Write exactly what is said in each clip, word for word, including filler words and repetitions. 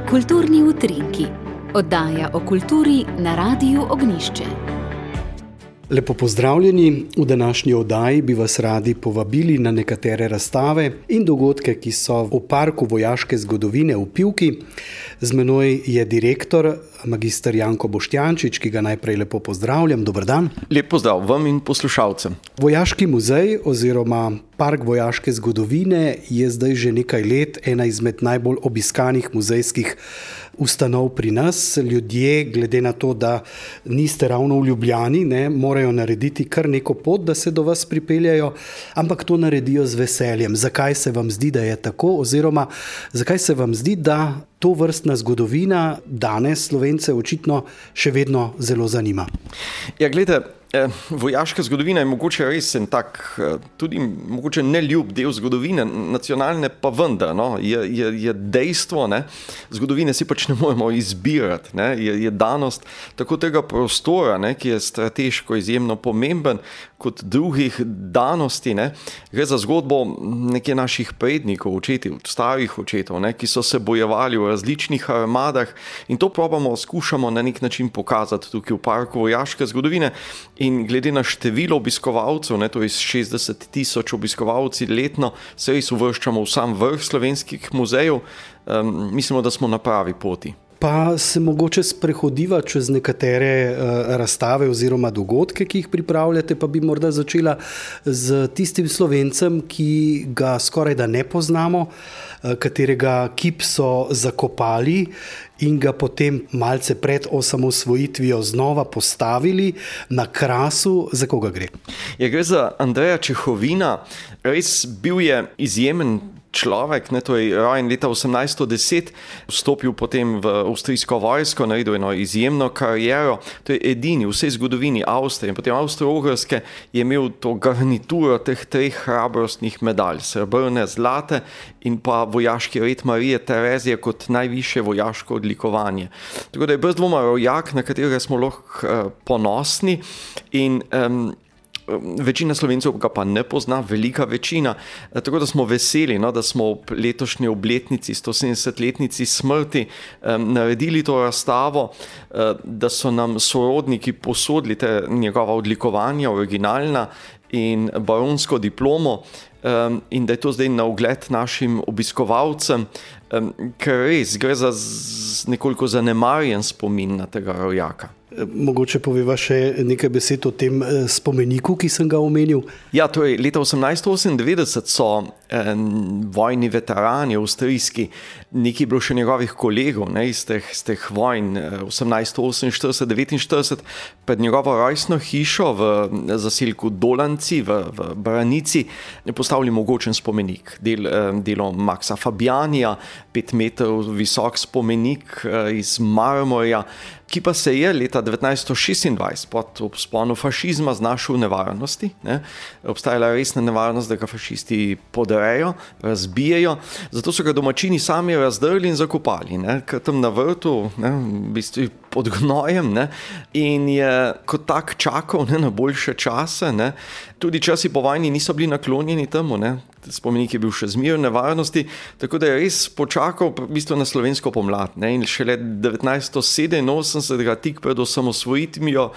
Kulturni utrinki, oddaja o kulturi na Radiu Ognjišče. Lepo pozdravljeni, v današnji oddaji bi vas radi povabili na nekatere razstave in dogodke, ki so v Parku vojaške zgodovine v Pivki. Z menoj je direktor, magister Janko Boštjančič, ki ga najprej lepo pozdravljam. Dober dan. Lep pozdrav vam in poslušalcem. Vojaški muzej oziroma Park vojaške zgodovine je zdaj že nekaj let ena izmed najbolj obiskanih muzejskih ustanov pri nas. Ljudje, glede na to, da niste ravno v Ljubljani, ne, morajo narediti kar neko pot, da se do vas pripeljajo, ampak to naredijo z veseljem. Zakaj se vam zdi, da je tako, oziroma zakaj se vam zdi, da to vrstna zgodovina danes Slovence očitno še vedno zelo zanima? Ja, glede, eh, vojaška zgodovina je mogoče res en tak, eh, tudi mogoče neljub del zgodovine, nacionalne pa vendar, no, je, je, je dejstvo, ne, zgodovine si pač ne moremo izbirati, ne, je, je danost tako tega prostora, ne, ki je strateško izjemno pomemben, kot drugih danosti, ne, gre za zgodbo nekje naših prednikov, očetov, starih očetov, ne, ki so se bojevali v različnih armadah in to probamo, skušamo na nek način pokazati tukaj v Parku vojaške zgodovine in glede na število obiskovalcev, ne, to je šestdeset tisoč obiskovalci letno, se res uvrščamo v sam vrh slovenskih muzejev, um, mislimo, da smo na pravi poti. Pa se mogoče sprehodiva čez nekatere uh, razstave oziroma dogodke, ki jih pripravljate, pa bi morda začela z tistim Slovencem, ki ga skoraj da ne poznamo, uh, katerega kip so zakopali in ga potem malce pred osamosvojitvijo znova postavili na Krasu. Za koga gre? Ja, gre za Andreja Čehovina, res bil je izjemen človek, ne, to je rojen leta osemnajststo deset, vstopil potem v avstrijsko vojsko, naredil eno izjemno kariero, to je edini v vsej zgodovini Avstrije in potem Avstro-Ogrske je imel to garnituro teh treh hrabrostnih medalj, srebrne, zlate in pa vojaški red Marije Terezije kot najvišje vojaško odlikovanje. Tako da je brez dvoma rojak, na katerega smo lahko uh, ponosni in um, večina Slovencev ga pa ne pozna, velika večina, tako da smo veseli, no, da smo v letošnji obletnici, stosedemdesetletnici smrti um, naredili to razstavo, uh, da so nam sorodniki posodili te njegova odlikovanja, originalna in baronsko diplomo, um, in da je to zdaj na ogled našim obiskovalcem, um, ker res gre za z nekoliko zanemarjen spomin na tega rojaka. Mogoče poveva še nekaj besed o tem spomeniku, ki sem ga omenil. Ja, torej, leta osemnajststo osemindevetdeset so eh, vojni veterani avstrijski, nekaj bilo še njegovih kolegov, ne, iz teh, z teh vojn osemnajststo oseminštirideset devetinštirideset pred njegovo rojstno hišo v zaselku Dolanci v, v Branici postavili mogočen spomenik. Del, eh, delo Maxa Fabianija, pet metrov visok spomenik eh, iz marmorja, ki pa se je leta devetnajststo šestindvajset pod vzponom fašizma znašel v nevarnosti. Ne. Obstajala je resna nevarnost, da ga fašisti podrejo, razbijejo, zato so ga domačini sami razdrli in zakopali, ne, ker tam na vrtu, ne, v bistvu pod gnojem, ne, in je kot tak čakal, ne, na boljše čase. Ne. Tudi časi po vojni niso bili naklonjeni temu, ne. Spomenik je bil še zmeraj v nevarnosti, tako da je res počakal v bistvu na slovensko pomlad, ne, in šele devetnajststo sedeminosemdeset, tik pred osamosvojitvijo,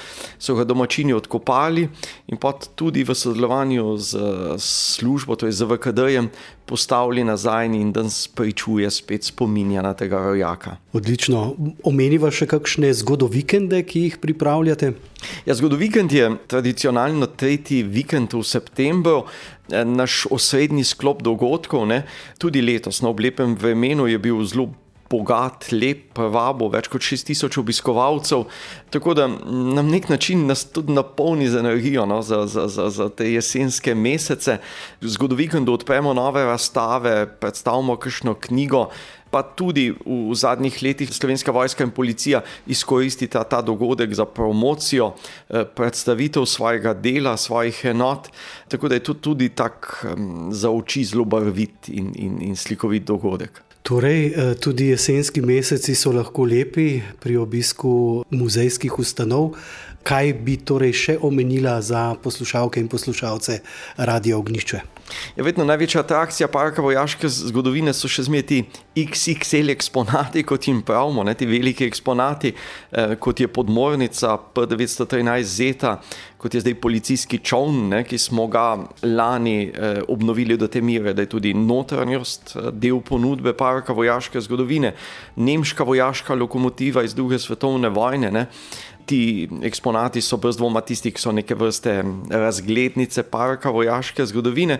so ga domačini odkopali in pa tudi v sodelovanju z službo, to je z V K D-jem, postavili nazaj in danes pričuje spet spominja na tega rojaka. Odlično. Omeniva še kakšne zgodovikende, ki jih pripravljate? Ja, zgodovikend je tradicionalno tretji vikend v septembru, naš osrednji sklop dogodkov, ne. Tudi letos na ob lepem vremenu je bil zelo bogat, lep, vabo, več kot šest tisoč obiskovalcev, tako da na nek način nas tudi napolni z energijo, no, za, za, za, za te jesenske mesece. Zgodovikendu odpremo nove razstave, predstavimo kakšno knjigo, pa tudi v zadnjih letih Slovenska vojska in policija izkoristita ta dogodek za promocijo, predstavitev svojega dela, svojih enot, tako da je to tudi tak za oči zelo barvit in, in, in slikovit dogodek. Torej, tudi jesenski meseci so lahko lepi pri obisku muzejskih ustanov. Kaj bi torej še omenila za poslušalke in poslušalce Radia Ognjišče? Je vedno največja atrakcija Parka vojaške zgodovine so še zmeraj ti iks iks el eksponati, kot jim pravimo, ne, ti veliki eksponati, eh, kot je podmornica P devetsto trinajst Zeta, kot je zdaj policijski čoln, ne, ki smo ga lani eh, obnovili do te mere, da je tudi notranjost eh, del ponudbe Parka vojaške zgodovine, nemška vojaška lokomotiva iz druge svetovne vojne, ne. Ti eksponati so brez dvoma tisti, ki so neke vrste razglednice Parka vojaške zgodovine.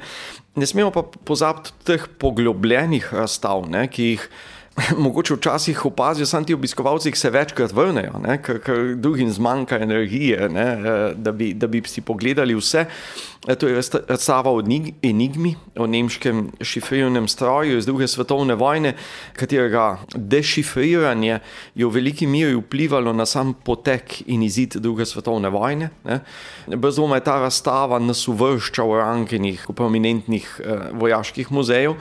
Ne smemo pa pozabiti teh poglobljenih razstav, ne, ki jih mogoče včasih opazijo samo ti obiskovalci, ki se večkrat vrnejo, ne, ker, ker drugim zmanjka energije, ne, da, bi, da bi si pogledali vse. To je razstava o enigmi, o nemškem šifrirnem stroju iz druge svetovne vojne, katerega dešifriranje je v veliki meri vplivalo na sam potek in izid druge svetovne vojne. Ne. Brez dvoma je ta razstava nas uvršča v rankenih prominentnih eh, vojaških muzejev.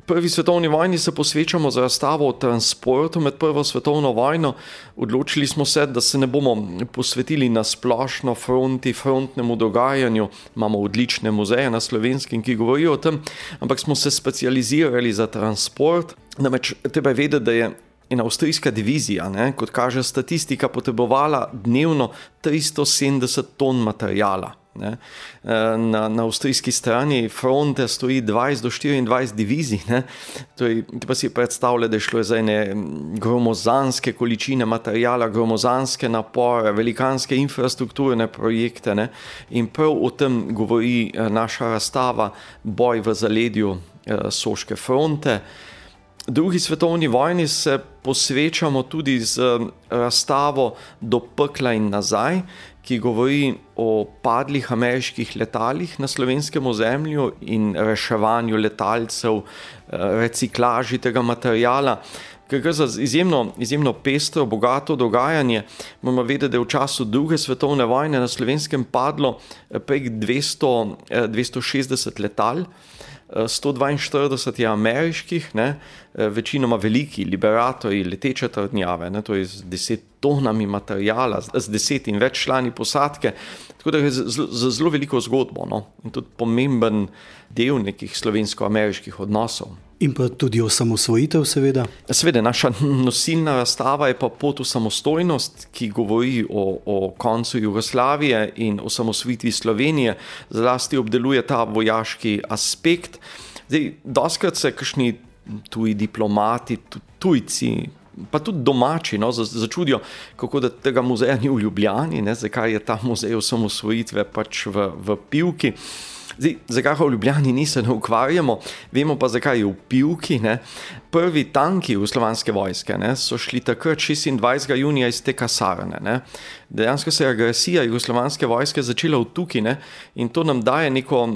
Prvi svetovni vojni se posvečamo z razstavo o transportu med prvo svetovno vojno. Odločili smo se, da se ne bomo posvetili na splošno fronti, frontnemu dogajanju. Imamo odlične muzeje na Slovenskem, ki govorijo o tem, ampak smo se specializirali za transport. Namreč treba je vedeti, da je ena avstrijska divizija, ne, kot kaže statistika, potrebovala dnevno tristo sedemdeset ton materijala. Ne. Na, na avstrijski strani fronte stoji dvajset do štiriindvajset divizij. Ne. Torej, pa si predstavlja, da je šlo za ene gromozanske količine materijala, gromozanske napore, velikanske infrastrukturne projekte. Ne. In prav o tem govori naša razstava Boj v zaledju Soške fronte. Drugi svetovni vojni se posvečamo tudi z razstavo Do pekla in nazaj, ki govori o padlih ameriških letalih na slovenskem ozemlju in reševanju letalcev, reciklaži tega materijala. Ker gre za izjemno, izjemno pestro, bogato dogajanje. Moramo vedeti, da je v času druge svetovne vojne na Slovenskem padlo prek dvesto, dvesto šestdeset letal, sto dvainštirideset je ameriških, ne, večinoma veliki liberatorji, leteče trdnjave, ne, to je z deset tonami materijala, z deset in več člani posadke, tako da je za zelo veliko zgodbo, no, in tudi pomemben del nekih slovensko-ameriških odnosov. In pa tudi osamosvojitev, seveda. Seveda, naša nosilna razstava je pa Pot v samostojnost, ki govori o, o koncu Jugoslavije in o osamosvojitvi Slovenije, zlasti obdeluje ta vojaški aspekt. Zdaj, doskrat se kakšni tuji diplomati, tujci, pa tudi domači, no, začudijo, kako da tega muzeja ni v Ljubljani, ne, zakaj je ta muzej osamosvojitve pač v, v Pivki. Zdaj, zakaj v Ljubljani ni, se ne ukvarjamo, vemo pa, zakaj je v Pivki. Ne. Prvi tanki jugoslovanske vojske, ne, so šli takrat šestindvajsetega junija iz te kasarne. Ne. Dejansko se je agresija jugoslovanske vojske začela v Tuki, ne, in to nam daje neko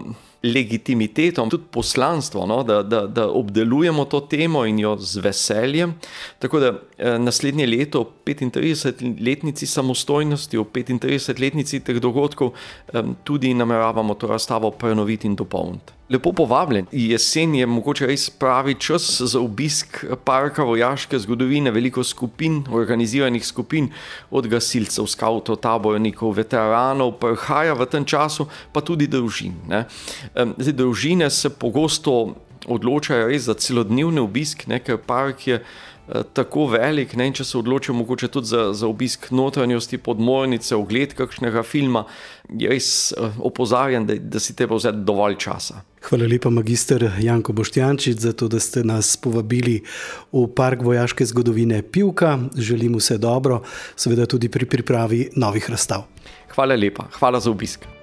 legitimiteto, tudi poslanstvo, no, da, da, da obdelujemo to temo in jo z veseljem. Tako da eh, naslednje leto, ob petintridesetletnici samostojnosti, ob petintridesetletnici teh dogodkov, eh, tudi nameravamo to razstavo prenoviti in dopolniti. Lepo povabljen. Jesen je mogoče res pravi čas za obisk Parka vojaške zgodovine, veliko skupin, organiziranih skupin, od gasilcev, skavtov, tabornikov, veteranov, prihaja v tem času, pa tudi družin. Ne. Zdaj, družine se pogosto odločajo res za celodnevni obisk, ne, ker park je tako velik, ne, in če se odločijo mogoče tudi za, za obisk notranjosti podmornice, ogled kakšnega filma, je res opozarjam, da, da si treba vzeti dovolj časa. Hvala lepa, magister Janko Boštjančič, za to, da ste nas povabili v Park vojaške zgodovine Pivka. Želim vse dobro, seveda tudi pri pripravi novih razstav. Hvala lepa, hvala za obisk.